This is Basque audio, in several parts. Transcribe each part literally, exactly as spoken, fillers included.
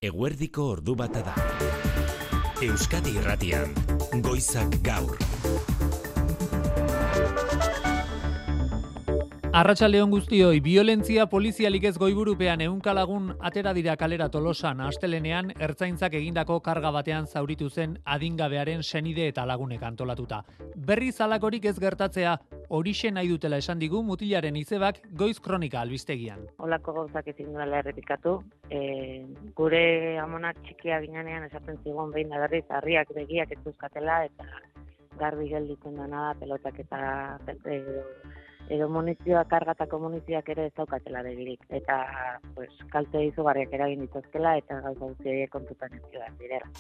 Eguerdiko ordu bata da. Euskadi Irratian, Goizak Gaur. Arratsaldeon guztioi, biolentzia polizialik ez goiburupean ehunka lagun atera dira kalera Tolosan. Astelenean ertzaintzak egindako karga batean zauritu zen adingabearen senide eta lagunek antolatuta. Berri zalakorik ez gertatzea, horixe nahi dutela esan digu mutilaren izebak Goiz Kronika albistegian. Olako gauzak ezin duela errepikatu. E, gure amonak txikia ginean esaten zigun behin da berriz, harriak begiak ez duzkatela eta garbi gelditzen dena da pelotak eta e, edo munizioa, kargatako munizioak ere ez daukatela begirik. Eta pues, kalte izugarriak eragin dituzkela eta gauza guztiak kontutan ez direla.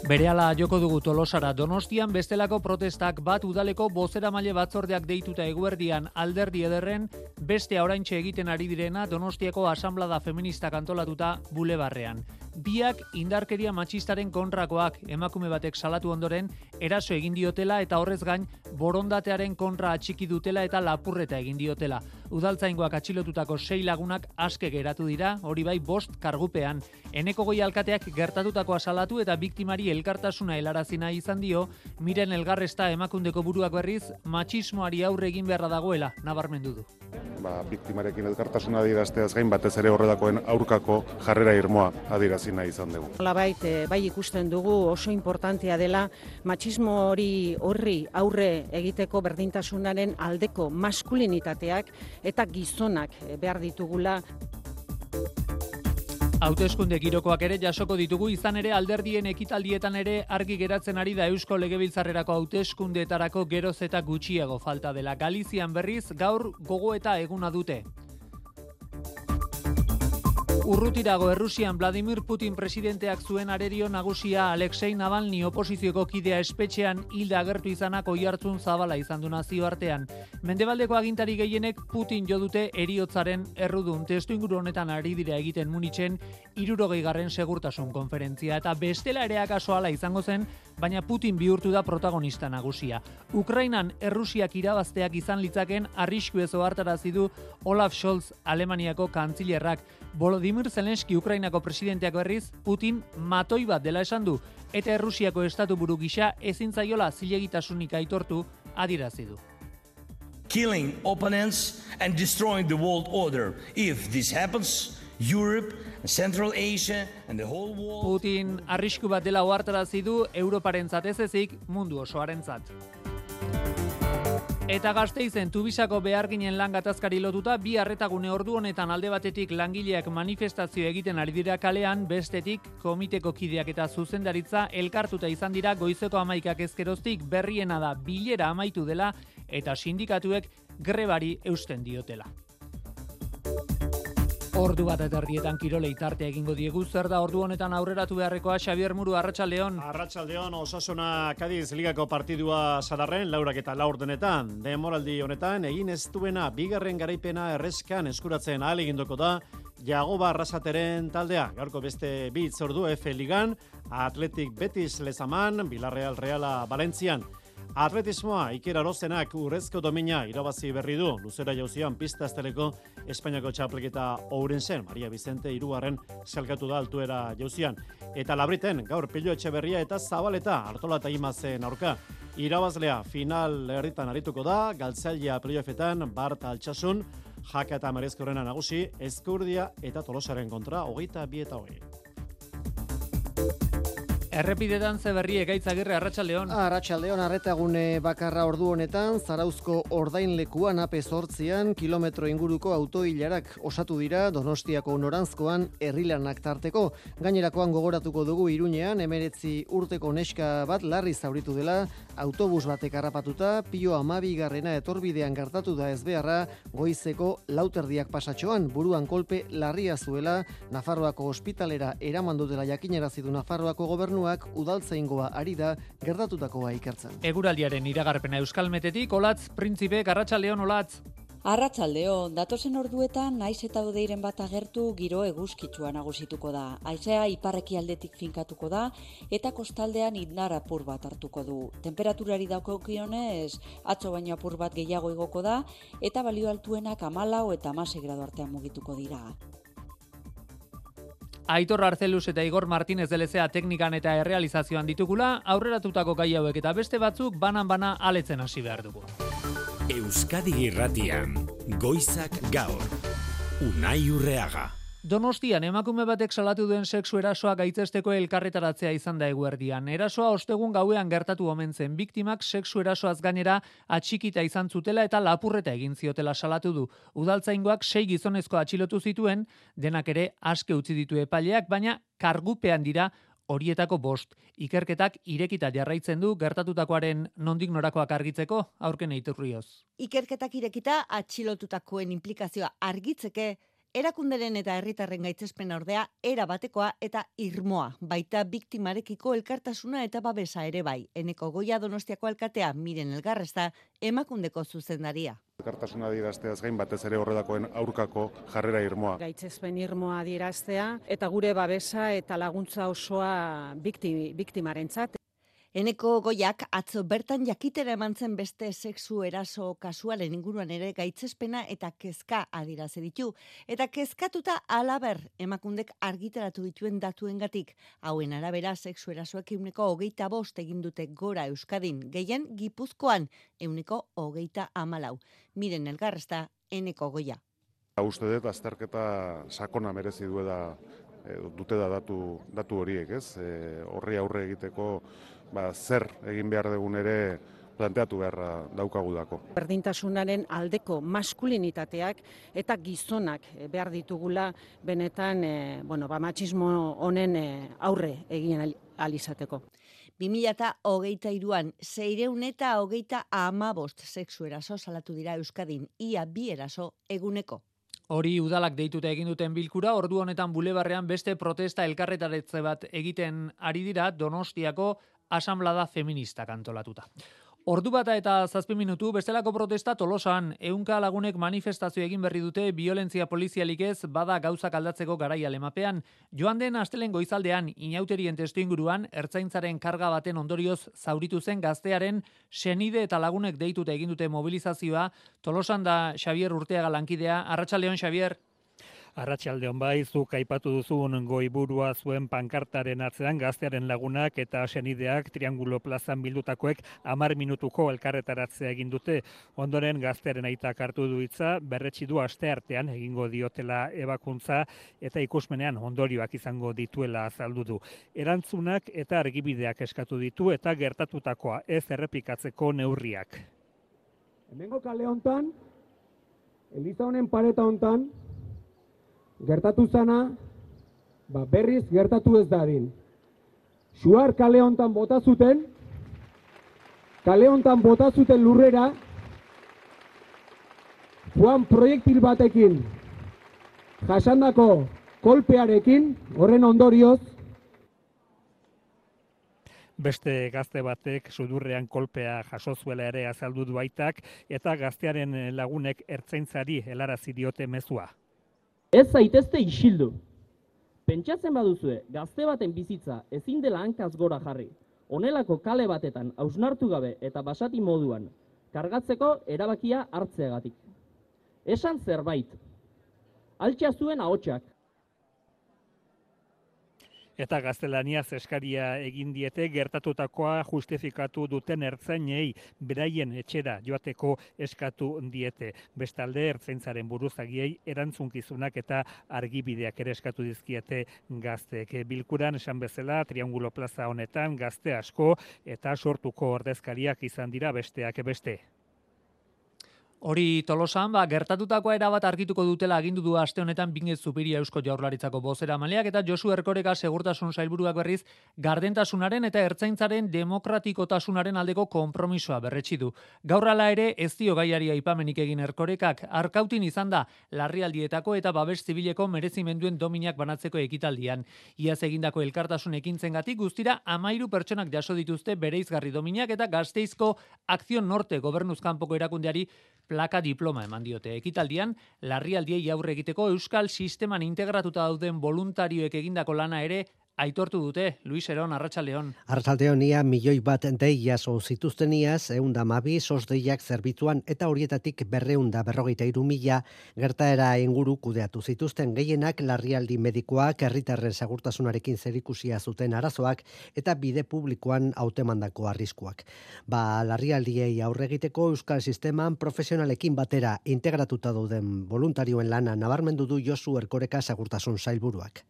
Berehala joko dugu Tolosara. Donostian bestelako protestak bat udaleko bozeramaile batzordeak deituta eguerdian alderdi ederren, beste oraintxe egiten ari direna Donostiako asanblada feministak antolatuta bulebarrean. Biak indarkeria matxistaren kontrakoak, emakume batek salatu ondoren eraso egin diotela eta horrez gain borondatearen kontra atxiki dutela eta lapurreta egin diotela. Udaltzaingoak atxilotutako sei lagunak aske geratu dira, hori bai bost kargupean. Eneko Goi alkateak gertatutakoa salatu eta biktimari elkartasuna helarazina izan dio, Miren Elgarresta Emakundeko buruak berriz matxismoari aurre egin beharra dagoela nabarmendu du. Ba, biktimarekin elkartasuna adierazteaz gain batez ere horrelakoen aurkako jarrera irmoa adierazi nahi izan dugu. Nolabait, bai ikusten dugu oso importantea dela matxismo hori horri aurre egiteko berdintasunaren aldeko maskulinitateak eta gizonak behar ditugula. Hauteskunde girokoak ere jasoko ditugu, izan ere alderdien ekitaldietan ere argi geratzen ari da Eusko Legebiltzarrerako hauteskundeetarako geroz eta gutxiago falta dela. Galizian berriz gaur gogoeta eguna dute. Urrutirago Errusian Vladimir Putin presidenteak zuen arerio nagusia Alexei Navalny oposizioko kidea espetxean hilda agertu izanak oihartzun zabala izan du nazioartean. Mendebaldeko agintari gehienek Putin jo dute heriotzaren errudun. Testuinguru honetan ari dira egiten Munitzen hirurogeigarren segurtasun konferentzia eta bestela ere akaso hala izango zen, baina Putin bihurtu da protagonista nagusia. Ukrainan Errusiak irabazteak izan litzaken arrisku ez ohartarazi du Olaf Scholz Alemaniako kantzilerrak. Volodymyr Zelenski Ukrainako presidenteak berriz Putin matoi bat dela esan du eta Errusiako estatuburu gisa ezin zaiola zilegitasunik aitortu adierazi du. Killing opponents and destroying the world order. If this happens, Europe, Central Asia and the whole world... Putin arrisku bat dela ohartarazi du Europarentzat ez ezik mundu osoarentzat. Eta Gasteizen Tubisako beharginen lan gatazkari lotuta bi arretagune ordu honetan alde batetik langileak manifestazio egiten ari dira kalean, bestetik komiteko kideak eta zuzendaritza elkartuta izan dira goizeko hamaikak ezkeroztik. Berriena da bilera amaitu dela eta sindikatuek grebari eusten diotela. Ordu bat eta erdietan kirolei tartea egingo diegu. Zer da ordu honetan aurreratu beharrekoa? Xabier Muru, arratsaldeon. Arratsaldeon, Osasuna Kadiz ligako partidua sadarren, laurak eta laur denetan. Demoraldi honetan, egin ez duena bigarren garaipena erreskan eskuratzen ahal egindoko da Jagoba Arrasateren taldea. Gaurko beste bi hitzordu F Ligan, Athletic Betis Lezaman, Villarreal Reala Valentzian. Atletismoa Iker Arozenak urrezko domina irabazi berri du. Luzera jauzian pista esteleko Espainiako txapelketa Ourensen, Maria Vicente hirugarren salkatu da altuera jauzian. Eta Labriten gaur Pillo Etxeberria eta Zabaleta Artola eta Imazen aurka. Irabazlea final herritan arituko da, Galtzailea playoffetan Bart Altsasun, Jaka eta Merezkorrena nagusi, Ezkurdia eta Tolosaren kontra hogeita bi eta hogei. Errepidetan Zeberri Egaitzagirre, arratsaldeon. Arratsaldeon, arretagune bakarra ordu honetan, Zarauzko ordainlekuan ape zortzian, kilometro inguruko autoilarak osatu dira Donostiako noranzkoan herrilanak tarteko. Gainerakoan gogoratuko dugu Iruñean, emeretzi urteko neska bat larri zauritu dela, autobus batek harrapatuta, Pio hamabigarrena etorbidean gertatu da ezbeharra, goizeko lauterdiak pasatxoan, buruan kolpe larria zuela, Nafarroako ospitalera eraman dutela jakinarazi du Nafarroako gobernua udaltzaingoa ari da gertatutakoa ikertzen. Eguraldiaren iragarpena Euskalmetetik, Olatz Printzipe, arratsaldeon Olatz. Arratsaldeon, datozen orduetan naiz eta hodeiren bat agertu giro eguzkitsua nagusituko da. Haizea ipar-ekialdetik finkatuko da eta kostaldean indar apur bat hartuko du. Temperaturari dagokionez atzo baino apur bat gehiago igoko da eta balio altuenak hamalau eta hamasei gradu artean mugituko dira. Aitor Arzeluz eta Igor Martínez delezea teknikan eta errealizazioan ditugula, aurreratutako gai hauek eta beste batzuk banan-bana aletzen hasi behar dugu. Euskadi Irratian, Goizak Gaur, Unai Urreaga. Donostian emakume batek salatu duen sexu erasoa gaitzesteko elkarretaratzea izan da eguerdian. Erasoa ostegun gauean gertatu omen zen. Biktimak sexu erasoaz gainera atxikita izan zutela eta lapurreta egin ziotela salatu du. Udaltzaingoak sei gizonezko atxilotu zituen, denak ere aske utzi ditu epaileak, baina kargupean dira horietako bost. Ikerketak irekita jarraitzen du gertatutakoaren nondik norakoak argitzeko, aurken eiturrioz. Ikerketak irekita atxilotutakoen implikazioa argitzeke, erakunderen eta herritarren gaitzespen ordea era batekoa eta irmoa, baita biktimarekiko elkartasuna eta babesa ere bai. Eneko Goia Donostiako alkatea Miren Elgarresta emakundeko zuzendaria. Elkartasuna adierazteaz gain batez ere horrelakoen aurkako jarrera irmoa. Gaitzespen irmoa adieraztea eta gure babesa eta laguntza osoa bikti, biktimarentzat. Eneko Goiak atzo bertan jakitera eman zen beste sexu eraso kasualen inguruan ere gaitzespena eta kezka adirazi ditu. Eta kezkatuta alaber emakundek argitaratu dituen datuengatik. Hauen arabera sexu erasoek euneko hogeita bost egin dute gora Euskadin, gehien Gipuzkoan euneko hogeita hamalau. Miren Elgarresta, Eneko Goia. Uste dut azterketa sakona merezi duela dute da datu, datu horiek, ez? E, horri aurre egiteko ba, zer egin behar dugun ere planteatu beharra daukagudako. Berdintasunaren aldeko maskulinitateak eta gizonak behar ditugula benetan e, bueno, ba, matxismo honen e, aurre egin alizateko. bi mila hogeita hiruan seiehun eta hogeita hamabost sexu eraso salatu dira Euskadin, ia bi eraso eguneko. Hori udalak deituta egin duten bilkura, ordu honetan bulebarrean beste protesta elkarretaretze bat egiten ari dira Donostiako asanblada feministak antolatuta. Ordu bata eta zazpi minutu, bestelako protesta Tolosan, ehunka lagunek manifestazio egin berri dute violentzia polizialik ez bada gauzak aldatzeko garaia lemapean. Joan den astelen goizaldean, inauterien testuinguruan, ertzaintzaren karga baten ondorioz zauritu zen gaztearen senide eta lagunek deituta egin dute mobilizazioa. Tolosan da Xavier Urteaga lankidea. Arratsaldeon, Xavier. Arratsaldeon bai, zuk aipatu duzun goiburua zuen pankartaren atzean gaztearen lagunak eta senideak Triangulo plazan bildutakoek hamar minutuko elkarretaratzea egin dute. Ondoren gaztearen aitak hartu du hitza, berretsi du asteartean egingo diotela ebakuntza eta ikusmenean ondorioak izango dituela azaldu du. Erantzunak eta argibideak eskatu ditu eta gertatutakoa ez errepikatzeko neurriak. Hemengo kale hontan, eliza honen pareta hontan, gertatu zana, ba berriz gertatu ez dadin. Suar kale hontan bota zuten, kale hontan bota zuten lurrera, Juan proiektil batekin jasandako kolpearekin, horren ondorioz, Beste gazte batek sudurrean kolpea jaso zuela ere azaldu du aitak eta gaztearen lagunek ertzaintzari helarazi diote mezua. Ez zaitezte isildu. Pentsatzen baduzue, gazte baten bizitza ezin dela hankaz gora jarri. Honelako kale batetan hausnartu gabe eta basati moduan kargatzeko erabakia hartzeagatik. Esan zerbait. Altxa zuen ahotsak. Eta gaztelaniaz eskaria egin diete gertatutakoa justifikatu duten ertzainei beraien etxera joateko eskatu diete. Bestalde ertzaintzaren buruzagiei erantzunkizunak eta argibideak ere eskatu dizkiete gazteek. Bilkuran esan bezala Triangulo plaza honetan gazte asko eta sortuko ordezkariak izan dira besteak beste. Hori Tolosan, ba, gertatutakoa erabat argituko dutela agindu du aste honetan Bingez Zupiria Eusko Jaurlaritzako bozeramaileak eta Josu Erkoreka segurtasun sailburuak berriz gardentasunaren eta ertzaintzaren demokratikotasunaren aldeko konpromisoa berretsi du. Gaur hala ere ez dio gaiari aipamenik egin Erkorekak, Arkautin izan da larrialdietako eta babes zibileko merezimenduen dominak banatzeko ekitaldian. Iaz egindako elkartasun ekintzengatik guztira hamairu pertsonak jaso dituzte bereizgarri dominak eta Gasteizko Akzion Norte gobernuzkanpoko erakundeari plaka diploma eman diote. Ekitaldian, larrialdiei aurre egiteko euskal sisteman integratuta dauden voluntarioek egindako lana ere aitortu dute. Luis Eron, Arratsaldeon. Arratsaldeon, ia milioi bat dei jaso zituzteniaz, ehun eta hamabi sos deiak zerbitzuan eta horietatik berrehun eta berrogeita hiru mila gertaera inguru kudeatu zituzten, gehienak larrialdi medikoak, herritarren segurtasunarekin zerikusia zuten arazoak eta bide publikoan hautemandako arriskuak. Ba, larrialdiei aurre egiteko euskal sisteman profesionalekin batera integratuta dauden voluntarioen lana nabarmendu du Josu Erkoreka segurtasun sailburuak.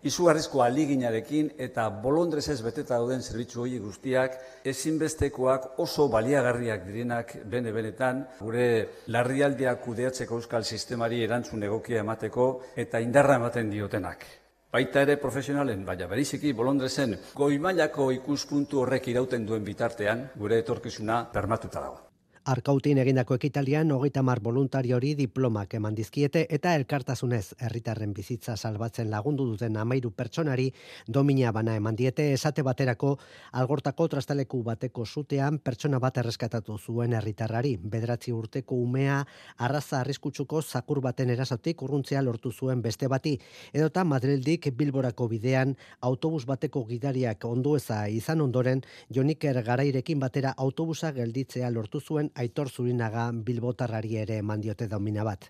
Izugarrizko ahaleginarekin eta bolondrezez beteta dauden zerbitzu horiek guztiak ezinbestekoak oso baliagarriak direnak bene-benetan gure larrialdiak kudeatzeko euskal sistemari erantzun egokia emateko eta indarra ematen diotenak. Baita ere profesionalen, baina beriziki bolondrezen goi mailako ikuspuntu horrek irauten duen bitartean gure etorkizuna bermatuta dago. Arkautin egindako ekitalian hogeita hamar voluntariori diplomak eman dizkiete eta elkartasunez herritarren bizitza salbatzen lagundu duten hamairu pertsonari domina bana eman diete, esate baterako Algortako trastaleku bateko sutean pertsona bat erreskatatu zuen herritarrari. Bederatzi urteko umea arraza arriskutsuko zakur baten erasotik urruntzea lortu zuen beste bati, edota Madrildik Bilborako bidean autobus bateko gidariak ondueza izan ondoren Joniker Garairekin batera autobusa gelditzea lortu zuen Aitor Zurinaga bilbotarrari ere eman diote domina bat.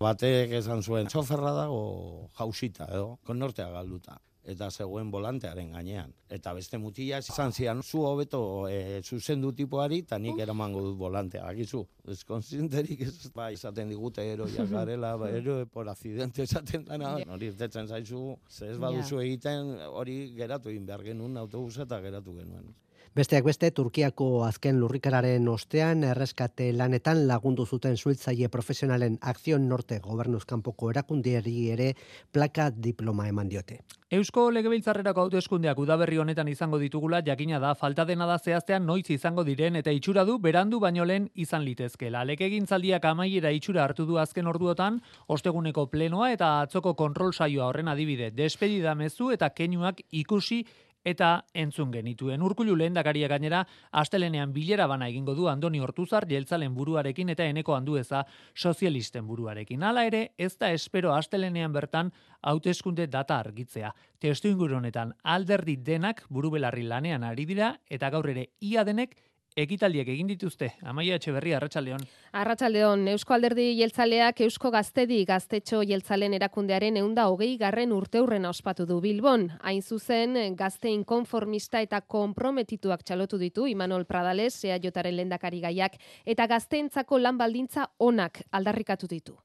Batek esan zuen, txoferra dago jausita edo, konnortea galduta. Eta zegoen volantearen gainean. Eta beste mutila izan zian, zu hobeto e, zuzendu tipoari, eta nik eramango dut volantea. Akizu, ez konsienterik ez, ba, izaten digute eroiak garela, ba, eroe por accidente esaten dana. Hori irtetzen zaizu, ze ez baduzu egiten, hori geratu egin behar genuen autobusa eta geratu genuen. Besteak beste, Turkiako azken lurrikararen ostean erreskate lanetan lagundu zuten suhiltzaile profesionalen Akzion Norte gobernuzkanpoko erakundiari ere plaka diploma eman diote. Eusko Legebiltzarrerako hauteskundeak udaberri honetan izango ditugula jakina da, falta dena da zehaztean noiz izango diren eta itxura du berandu baino lehen izan litezkela. Legegintzaldiak amaiera itxura hartu du azken orduotan, osteguneko plenoa eta atzoko kontrol saioa horren adibide, despedida mezu eta keinuak ikusi eta entzun genituen. Urkullu lehendakaria gainera astelenean bilera bana egingo du Andoni Ortuzar jeltzalen buruarekin eta Eneko Andueza sozialisten buruarekin. Hala ere, ez da espero astelenean bertan hauteskunde data argitzea. Testuinguru honetan alderdi denak burubelarri lanean ari dira eta gaur ere ia denek ekitaldiak egin dituzte. Amaia Etxeberria, Arratsaldeon. Arratsaldeon, Eusko Alderdi Jeltzaleak Eusko Gaztedi Gaztetxo Jeltzalen erakundearen ehun eta hogei garren urteurrena ospatu du Bilbon. Hain zuzen, gazte inkonformista eta konprometituak txalotu ditu Imanol Pradales, E A Jaren lehendakari gaiak, eta gazteentzako lan baldintza onak aldarrikatu ditu.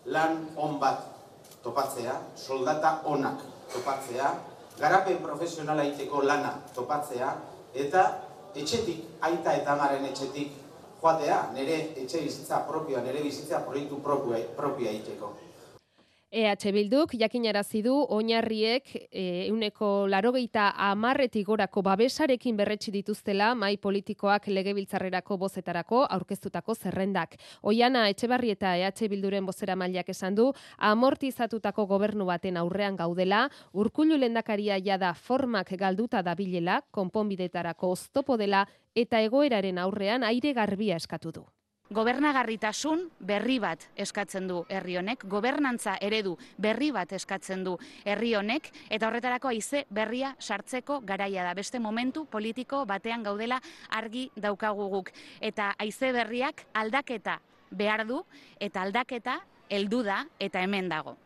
Lan on bat topatzea, soldata onak topatzea, garapen profesionala egiteko lana topatzea, eta etxetik, aita eta amaren etxetik joatea, nire etxe bizitza propioa, nire bizitza proiektu propioa egiteko. E H Bilduk jakinarazi du oinarriek ehuneko laurogeita hamarretik gorako babesarekin berretsi dituztela mahai politikoak legebiltzarrerako bozetarako aurkeztutako zerrendak. Oiana Etxebarrieta E H Bilduren bozeramaileak esan du amortizatutako gobernu baten aurrean gaudela, Urkullu lehendakaria jada formak galduta dabilela, konponbidetarako oztopo dela eta egoeraren aurrean aire garbia eskatu du. Gobernagarritasun berri bat eskatzen du herri honek, gobernantza eredu berri bat eskatzen du herri honek, eta horretarako haize berria sartzeko garaia da. Beste momentu politiko batean gaudela argi daukagu guk. Eta haize berriak aldaketa behar du, eta aldaketa heldu da eta hemen dago.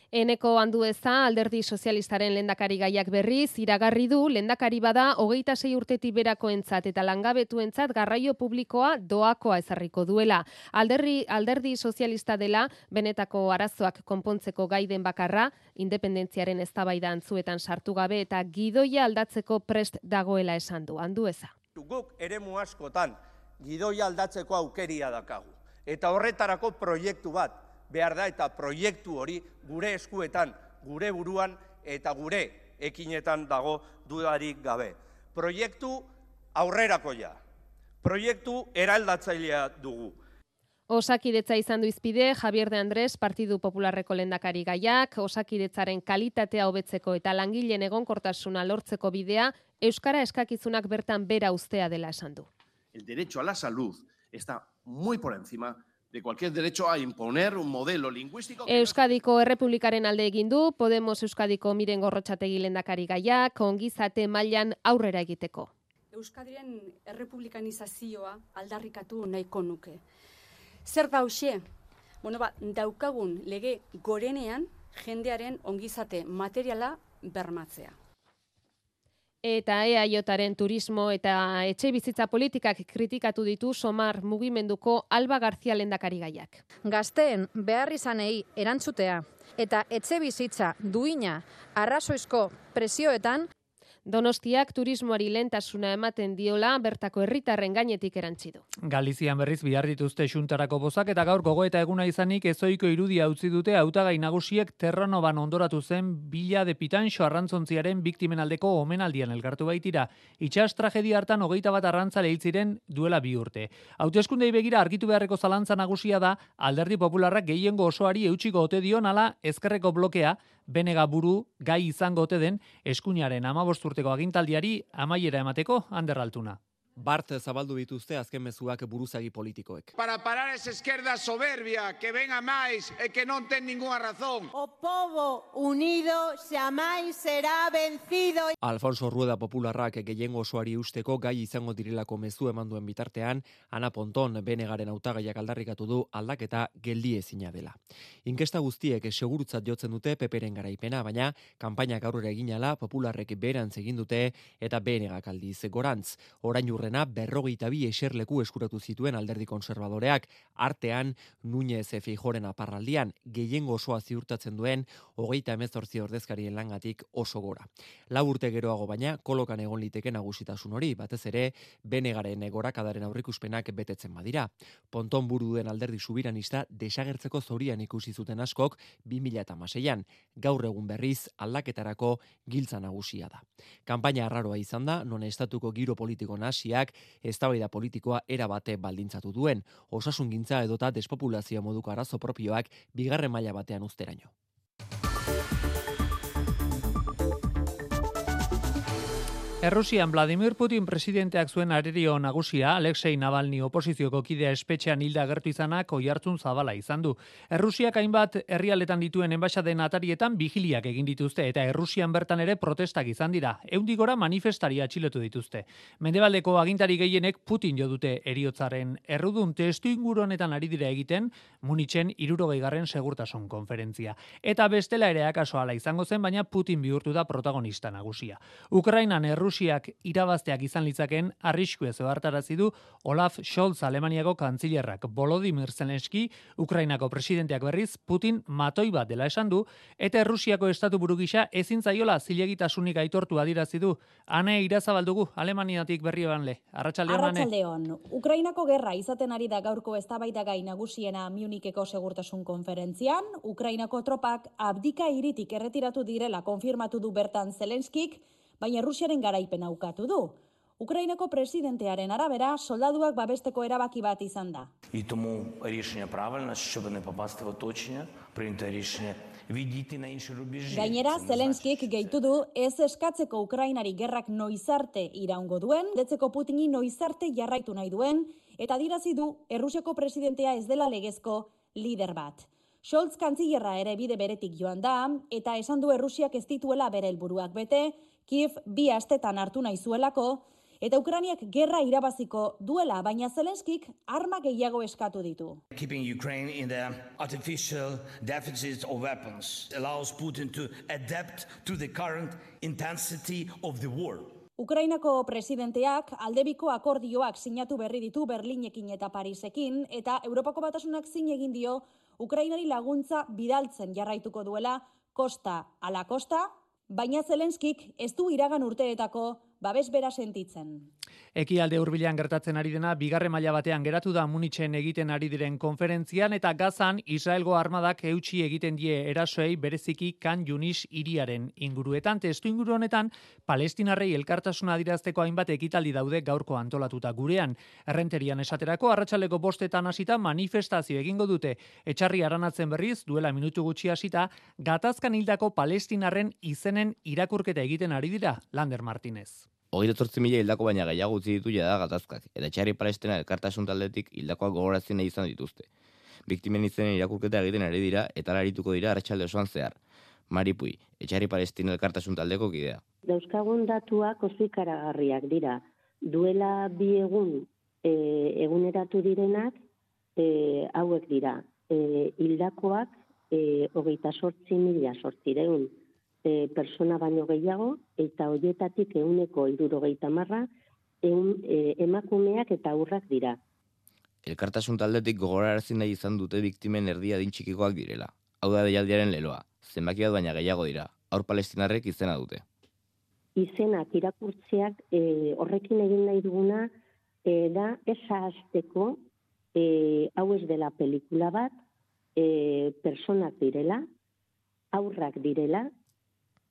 Eneko Andueza alderdi sozialistaren lehendakari gaiak berriz iragarri du lehendakari bada hogeita sei urtetik berakoentzat eta langabetuentzat garraio publikoa doakoa ezarriko duela. Alderdi, alderdi sozialista dela benetako arazoak konpontzeko gaiden bakarra, independentziaren eztabaida antzuetan sartu gabe eta gidoia aldatzeko prest dagoela esan du. Andueza. Guk eremu askotan gidoia aldatzeko aukeria dakagu. Eta horretarako proiektu bat behar da, eta proiektu hori gure eskuetan, gure buruan eta gure ekinetan dago dudarik gabe. Proiektu aurrerakoia, proiektu eraldatzailea dugu. Osakidetza izan du izpide Javier de Andrés Partidu Popularreko lehendakari gaiak, osakidetzaren kalitatea hobetzeko eta langileen egonkortasuna lortzeko bidea euskara eskakizunak bertan bera uztea dela esan du. El derecho a la salud está muy por encima de cualquier derecho a imponer un modelo lingüístico. Euskadiko Errepublikaren alde egin du Podemos Euskadiko Miren Gorrotxategi lehendakari gaiak ongizate mailan aurrera egiteko. Euskadiren errepublikanizazioa aldarrikatu nahiko nuke. Zer da hoxe? Bueno, ba, daukagun lege gorenean jendearen ongizate materiala bermatzea. Eta E A Jaren turismo eta etxe bizitza politikak kritikatu ditu Somar mugimenduko Alba Garzia lehendakari gaiak. Gazteen beharrizanei erantzutea eta etxe bizitza duina arrazoizko presioetan Donostiak turismoari lehentasuna ematen diola bertako herritarren gainetik erantzi du. Galizian berriz bihar dituzte xuntarako bozak eta gaur gogoeta eguna izanik ezoiko irudia utzi dute hautagai nagusiek Terranoban ondoratu zen Bila de Pitanxo arrantzontziaren biktimen aldeko omenaldian elkartu baitira. Itsas tragedia hartan hogeita bat arrantzale hil ziren duela bi urte. Hauteskundei begira argitu beharreko zalantza nagusia da Alderdi Popularrak gehiengo osoari eutsiko ote dion ala ezkerreko blokea benega buru gai izango ote den eskuinaren hamabost urteko agintaldiari amaiera emateko Ander Altuna. Bart zabaldu dituzte azken mezuak buruzagi politikoek. Para parar esa izquierda soberbia que venga máis e que non ten ninguna razón. O povo unido xamais será vencido. Alfonso Rueda Popularrak gehiengo osoari usteko gai izango direlako mezu eman duen bitartean, Ana Ponton benegaren hautagaiak aldarrikatu du aldaketa geldiezina dela. Inkesta guztiek segurutzat jotzen dute Peperen garaipena, baina kanpainak aurrera eginala Popularrek berantz egin dute eta benegak aldiz gorantz. Orain urre berrogeita bi eserleku eskuratu zituen alderdi konservadoreak, artean Núñez Feijóoren aparraldian gehiengo osoa ziurtatzen duen hogeita hemezortzi ordezkarien langatik oso gora. Lau urte geroago baina kolokan egon liteke nagusitasun hori, batez ere benegaren gorakadaren aurrikuspenak betetzen badira. Ponton buru duen alderdi subiranista desagertzeko zorian ikusi zuten askok bi mila hamaseian, gaur egun berriz aldaketarako giltza nagusia da. Kanpaina arraroa izan da, non estatuko giro politiko nahasia eztabaida politikoa era bate baldintzatu duen, osasungintza edota despopulazio moduko arazo propioak bigarren maila batean uzteraino. Errusian Vladimir Putin presidenteak zuen arerio nagusia Alexei Navalny oposizioko kidea espetxean hilda agertu izanak oihartzun zabala izan du. Errusiak hainbat herrialdetan dituen enbaxaden atarietan vigiliak egin dituzte eta Errusian bertan ere protestak izan dira. Ehundik gora manifestari atxilotu dituzte. Mendebaldeko agintari gehienek Putin jo dute heriotzaren errudun testu inguru honetan ari dira egiten Munitzen hirurogeigarren segurtasun konferentzia. Eta bestela ere akaso hala izango zen, baina Putin bihurtu da protagonista nagusia. Ukrainan Errusiak irabazteak izan litzaken arriskue zehartarazi du Olaf Scholz Alemaniako kantzilerrak. Volodymyr Zelensky Ukrainako presidenteak berriz Putin matoi bat dela esan du eta Errusiako estatu buru gisa ezin zaiola zilegitasunik aitortu adierazi du. Ane Irazabaldugu Alemaniatik berrioanle. Arratsaldeon Ane. Arratsaldeon. Ukrainako gerra izaten ari da gaurko eztabaidagai nagusiena Municheko segurtasun konferentzian. Ukrainako tropak abdika hiritik erretiratu direla konfirmatu du bertan Zelenskik, baina Rusiaren garaipena ukatu du. Ukrainako presidentearen arabera, soldaduak babesteko erabaki bat izan da. І тому рішення правильне, щоб не попасти в оточення, прийняти рішення відійти на інші рубежі. Gainera, Zelenskik gehitu du ez eskatzeko Ukrainari gerrak noizarte iraungo duen, detzeko Putini noizarte jarraitu nahi duen, eta adierazi du Errusiako presidentea ez dela legezko lider bat. Scholz kantzillerra ere bide beretik joan da, eta esan du Errusiak ez dituela bere helburuak bete, Kiev bi astetan hartu nahi zuelako, eta Ukrainiak gerra irabaziko duela, baina Zelenskik arma gehiago eskatu ditu. Keeping Ukraine in the artificial deficit of weapons allows Putin to adapt to the current intensity of the war. Ukrainako presidenteak aldebiko akordioak sinatu berri ditu Berlinekin eta Parisekin, eta Europako Batasunak zin egin dio Ukrainari laguntza bidaltzen jarraituko duela kosta ala kosta, baina Zelenskik ez du iragan urteetako babes bera sentitzen. Ekialde hurbilean gertatzen ari dena bigarren maila batean geratu da Munitzen egiten ari diren konferentzian eta Gazan Israelgo armadak eutsi egiten die erasoei bereziki Khan Yunis hiriaren inguruetan. Testu inguru honetan Palestinarrei elkartasuna adierazteko hainbat ekitaldi daude gaurko antolatuta gurean. Errenterian esaterako arratsaldeko bostetan hasita manifestazio egingo dute. Etxarri aranatzen berriz duela minutu gutxi hasita gatazkan hildako Palestinarren izenen irakurketa egiten ari dira. Lander Martinez. Hogeita zortzi mila hildako baina gehiago utzi ditu jada gatazkak, eta Etxarri Palestina elkartasun taldetik hildakoak gogorazi nahi izan dituzte. biktimen izenen irakurketa egiten ari dira eta arituko dira arratsalde osoan zehar. Maripui, Etxarri Palestina elkartasun taldeko kidea. Dauzkagun datuak oso ikaragarriak dira. Duela bi egun e, eguneratu direnak e, hauek dira. E, hildakoak e, hogeita sortzi mila sortzireun e, persona baino gehiago eta horietatik ehuneko hirurogeita hamarra ehun e, emakumeak eta haurrak dira. Elkartasun taldetik gogorarazi nahi izan dute biktimen erdia adin txikikoak direla. Hau da deialdiaren leloa. Zenbaki bat baina gehiago dira. Haur palestinarrek izena dute. Izenak irakurtzeak e, horrekin egin nahi duguna e, da esa hasteko e, hau ez dela pelikula bat, e, personak direla, haurrak direla,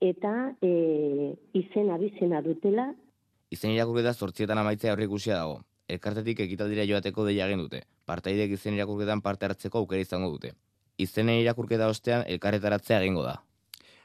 eta e, izena bizena dutela. Izen irakurketa zortzietan amaitzea aurreikusia dago. Elkartetik ekitaldira joateko deia egin dute. Partaidek izen irakurketan parte hartzeko aukera izango dute. Izenen irakurketa ostean elkarretaratzea egingo da.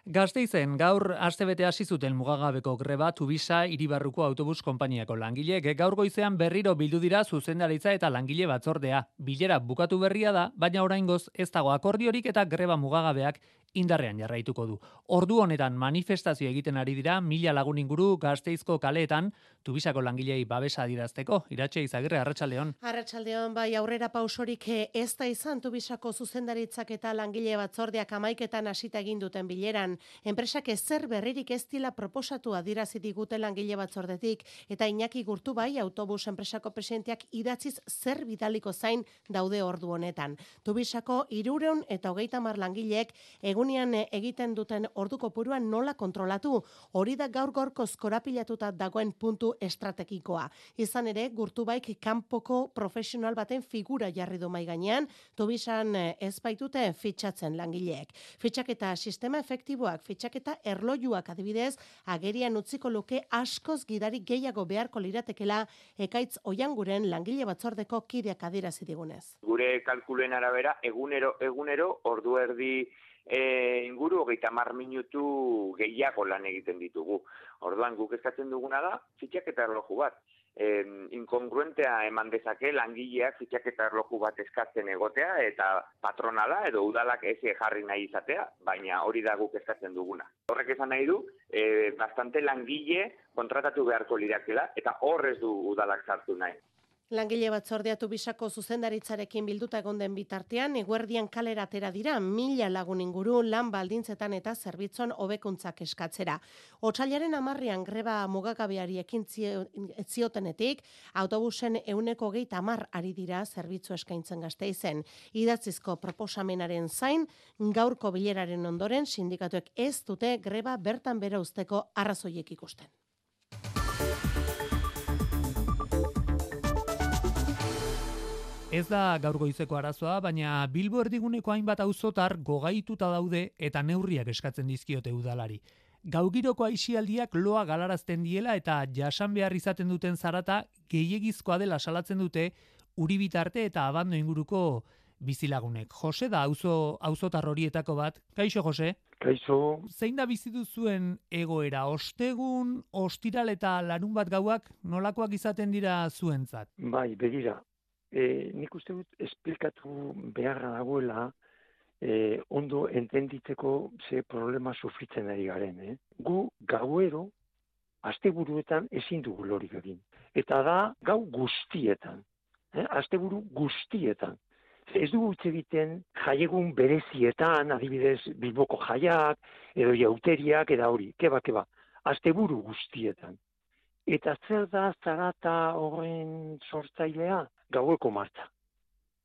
Gasteizen gaur astebete hasi zuten mugagabeko greba Tubisa Hiribarruko autobus konpainiako langileek gaur goizean berriro bildu dira zuzendaritza eta langile batzordea. Bilera bukatu berria da, baina oraingoz ez dago akordiorik eta greba mugagabeak indarrean jarraituko du. Ordu honetan manifestazio egiten ari dira mila lagun inguru Gasteizko kaleetan Tubisako langilei babesa adirazteko. Iratxe Izagirre, Arratsaldeon. Arratsaldeon, bai, aurrera pausorik ez da izan Tubisako zuzendaritzak eta langile batzordeak hamaiketan hasita egin duten bileran. Enpresak ezer berririk ez dila proposatu adierazi digute langile batzordetik eta Iñaki Gurtubai autobus enpresako presidenteak idatziz zer bidaliko zain daude ordu honetan. Tubisako hirurehun eta hogeita hamar langileek egunean egiten duten ordu kopuruan nola kontrolatu. Hori da gaur gaurkoz korapilatuta dagoen puntu estrategikoa. Izan ere, Gurtubaik kanpoko profesional baten figura jarri du mai gainean, Tubisan ez baitute fitxatzen langileek. Fitxaketa sistema efektiboak, fitxaketa erlojuak adibidez, agerian utziko luke askoz gidari gehiago beharko liratekela Ekaitz Oianguren langile batzordeko kideak adierazi digunez. Gure kalkuluen arabera, egunero, egunero, ordu erdi E, inguru hogeita hamar minutu gehiago lan egiten ditugu. Orduan guk eskatzen duguna da fitxaketa erloju bat. E, inkongruentea eman dezake langileak fitxaketa erloju bat eskatzen egotea eta patronala edo udalak ez jarri nahi izatea, baina hori da guk eskatzen duguna. Horrek esan nahi du, e, bastante langile kontratatu beharko lirakela eta horrez du udalak sartu nahi. Langile batzordea Tubisako zuzendaritzarekin bilduta egon den bitartean, eguerdian kalera atera dira mila lagun inguru lan baldintzetan eta zerbitzon hobekuntzak eskatzera. Otsailaren hamarrean greba mugagabeari ekin ziotenetik, autobusen ehuneko hogeita hamar ari dira zerbitzu eskaintzen Gasteizen. Idatzizko proposamenaren zain, gaurko bileraren ondoren sindikatuek ez dute greba bertan bera uzteko arrazoiek ikusten. Ez da gaur goizeko arazoa, baina Bilbo erdiguneko hainbat auzotar gogaituta daude eta neurriak eskatzen dizkiote udalari. Gaugiroko aisialdiak loa galarazten diela eta jasan behar izaten duten zarata gehiegizkoa dela salatzen dute Uribitarte eta Abando inguruko bizilagunek. Jose da auzo auzotar horietako bat. Kaixo, Jose? Kaixo. Zein da bizi duzuen egoera? Ostegun, ostiral eta larun bat gauak nolakoak izaten dira zuentzat? Bai, begira. E, nik uste dut esplikatu beharra dagoela e, ondo entenditzeko ze problema sufritzen ari garen. Eh? Gu gauero, asteburuetan ezin dugu lorik egin. Eta da gau guztietan. Eh? Asteburu guztietan. Ez dugu hitz egiten jaiegun berezietan, adibidez Bilboko jaiak, edo jauteriak, eta hori, keba, keba. Asteburu guztietan. Eta zer da zarata horren sortzailea? Gaueko martxa.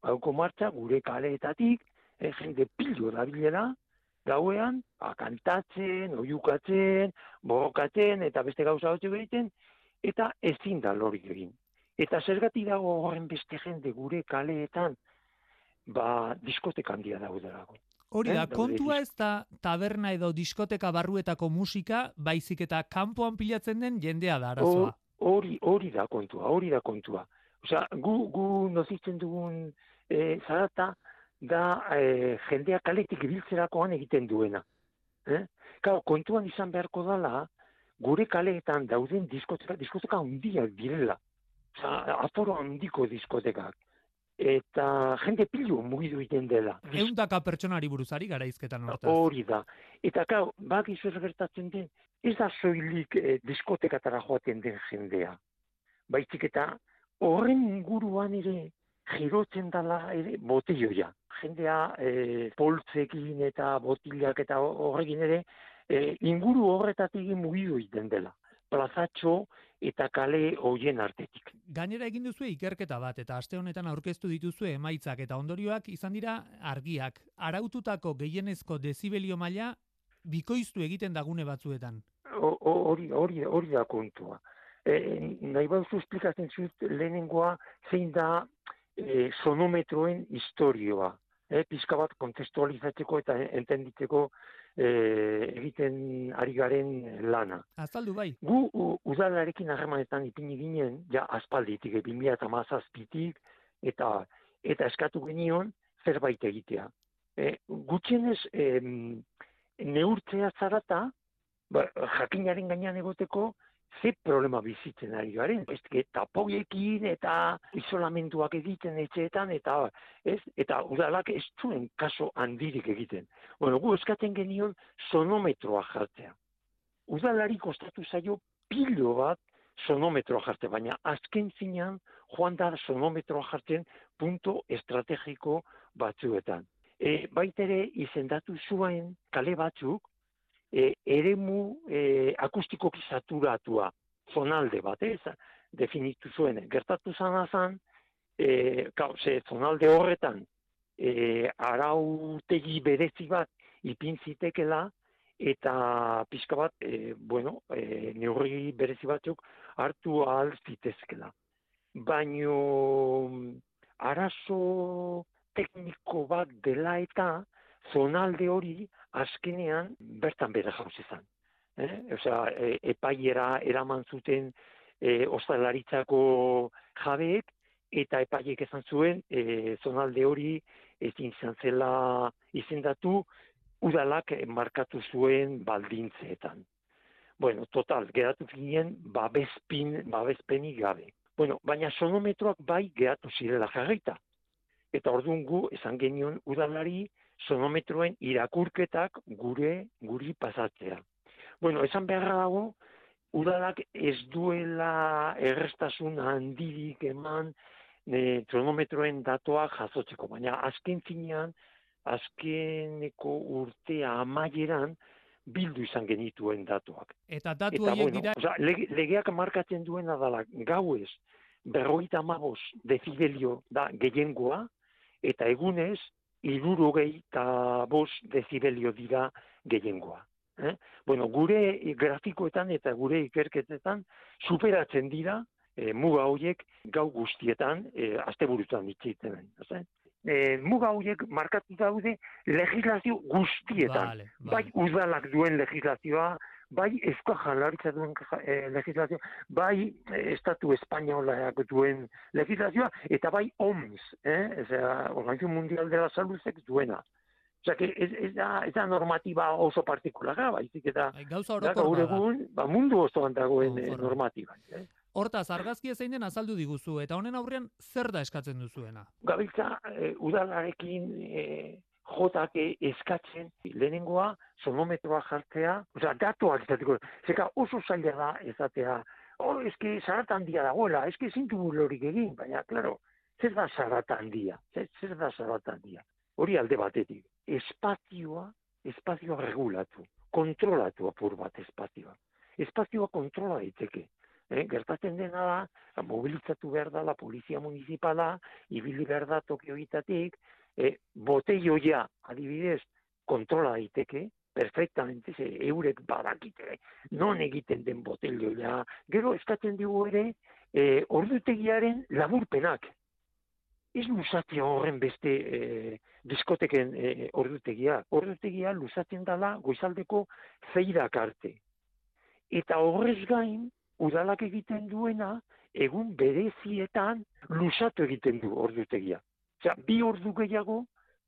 Gaueko martxa gure kaleetatik, eh, jende pilo da bilera, gauean, kantatzen, oiukatzen, borrokatzen, eta beste gauza batzuk egiten, eta ezin da lorik egin. Eta zergatik dago horren beste jende gure kaleetan, ba, diskoteka handia daudelako. Hori da, eh? kontua ez da taberna edo diskoteka barruetako musika, baizik eta kanpoan pilatzen den jendea da arazoa. Hori, hori da kontua, hori da kontua. Osea, gu, gu nozitzen dugun e, zarata da e, jendea kaletik ibiltzerakoan egiten duena. Eh? Kau, kontuan izan beharko dela, gure kaleetan dauden diskoteka, diskoteka handiak direla. Osea, aforo handiko diskotekak. eta jende pilu mugidu egiten dela. Eundaka pertsonari buruzari garaizketan hortaz. Hori da. Eta gau, bak izuer gertatzen den, ez da soilik eh, diskotekatara joaten den jendea. Baizik eta horren inguruan ere girotzen dela ere botilloia. Jendea eh, poltzekin eta botilak eta horrekin ere eh, inguru horretatik mugidu egiten dela. Plazatxo eta kale hoien artetik. Gainera egin duzu ikerketa bat eta aste honetan aurkeztu dituzue emaitzak eta ondorioak izan dira argiak. Araututako gehienezko dezibelio maila bikoiztu egiten dagune batzuetan. Hori hori hori da kontua. E, nahi bauzu esplikatzen zut lehenengoa zein da e, sonometroen historioa. E, pizka bat kontestualizatzeko eta entenditzeko e, egiten ari garen lana. Azaldu bai. Gu u, udalarekin harremanetan ipini ginen, ja aspalditik, bi mila hamazazpitik, eta eta eskatu genion zerbait egitea. E, gutxienez e, neurtzea zarata, ba, jakinaren gainean egoteko, ze problema bizitzen ari garen. Ez, tapoiekin eta isolamenduak egiten etxeetan, eta ez, eta udalak ez zuen kaso handirik egiten. Bueno, gu eskatzen genion sonometroa jartzea. Udalari kostatu zaio pilo bat sonometroa jartzea, baina azken zinean joan da sonometroa jartzen punto estrategiko batzuetan. E, baitere izendatu zuen kale batzuk, E, eremu e, akustikoki saturatua, zonalde bat, ez, definitu zuen. Gertatu zana zan, e, ze zonalde horretan, e, arautegi berezi bat ipin zitekela, eta pixka bat, e, bueno, e, neurri berezi batzuk hartu ahal zitezkela. Baino arazo tekniko bat dela eta zonalde hori azkenean bertan bere jauz izan. Eh? Osea, e, epaiera eraman zuten e, ostalaritzako jabeek, eta epaiek esan zuen e, zonalde hori ezin izan zela izendatu udalak markatu zuen baldintzeetan. Bueno, total, geratu ginen babespin, babespenik gabe. Bueno, baina sonometroak bai geratu zirela jarrita. Eta orduan gu esan genion udalari sonometroen irakurketak gure guri pasatzea. Bueno, esan beharra dago, udalak ez duela errestasun handirik eman e, sonometroen datoak jasotzeko, baina azken finean, azkeneko urtea amaieran, bildu izan genituen datuak. Eta datu horiek bueno, dira... Oza, lege, legeak markatzen duena dela gauez, berrogeita hamabost dezibelio da gehiengoa, eta egunez, hirurogei eta bost dezibelio dira gehiengoa. Eh? Bueno, gure grafikoetan eta gure ikerketetan superatzen dira e, muga horiek gau guztietan, e, asteburutan itxiten. E, muga horiek markatu daude legislazio guztietan. Vale, vale. Bai udalak duen legislazioa, bai Eusko Jaurlaritza duen e, legislazioa, bai e, Estatu Espainolak duen legislazioa, eta bai O M S, eh? Organización Mundial de la Saludek duena. Osea, que ez, ez, da, ez da normatiba oso partikulara, baizik eta gauza da, gaur egun ba, mundu osoan dagoen oh, normatiba. Eh? Hortaz, argazkia zein den azaldu diguzu, eta honen aurrean zer da eskatzen duzuena? Gabiltza, e, udalarekin e, jotak eskatzen lehenengoa sonometroa jartzea, osea, datuak izateko, zeka oso zaila da ezatea, oh, eske zarata handia dagoela, eske zintu lorik egin, baina, klaro, zer da zarata handia, zer, zer da zarata handia. Hori alde batetik, espazioa, espazioa regulatu, kontrolatu apur bat espazioa. Espazioa kontrola daiteke. Eh, gertatzen dena da, mobilizatu behar da la polizia municipala, ibili behar da Tokio hitatik, eh, botelloia, adibidez, kontrola daiteke, perfectamente, ze eurek badakite, non egiten den botelloia. Gero eskatzen digu ere, eh, ordutegiaren laburpenak. Ez luzatzea horren beste eh, diskoteken eh, ordutegia. Ordutegia luzatzen dela goizaldeko zeirak arte. Eta horrez gain, udalak egiten duena, egun berezietan luzatu egiten du ordutegia. Osea, bi ordu gehiago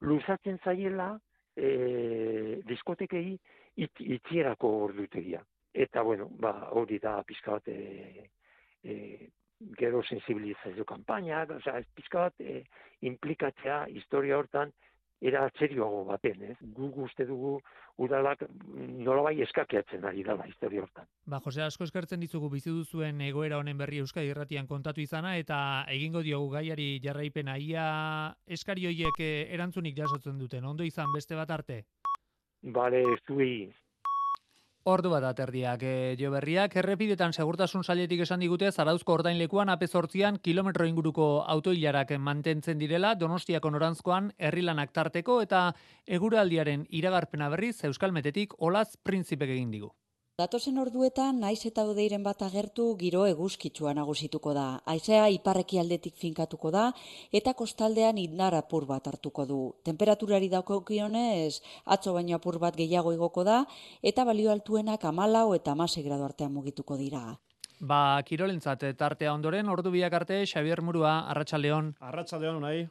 luzatzen zaiela e, diskotekei it, itxierako ordutegia. Eta, bueno, ba, hori da pizka bat e, e, gero sensibilizazio kanpainak, osea, ez pizka bat e, implikatzea historia hortan era serioago baten, ez? Gu uste dugu udalak nolabai eskakiatzen ari dela historia hortan. Ba, Jose, asko eskertzen dizugu bizi duzuen egoera honen berri Euskadi Irratian kontatu izana eta egingo diogu gaiari jarraipena. Ia eskari horiek erantzunik jasotzen duten. Ondo izan beste bat arte. Bale, zuei. Ordu bat aterdiak e, jo berriak, errepidetan segurtasun sailetik esan digute Zarauzko ordainlekuan A P zortzian kilometro inguruko autoilarak mantentzen direla, Donostiako norantzkoan herrilanak tarteko eta eguraldiaren iragarpena berriz Euskalmetetik Olaz Printzipek egin digu. Datozen orduetan, naiz eta hodeiren bat agertu, giro eguzkitsua nagusituko da. Haizea iparreki aldetik finkatuko da, eta kostaldean indar apur bat hartuko du. Temperaturari daukionez, atzo baino apur bat gehiago igoko da, eta balio altuenak hamalau eta hamasei gradu artean mugituko dira. Ba, kirolentzat tartea ondoren, ordu biak arte, Xabier Murua, Arratsaldeon. Arratsaldeon, unai.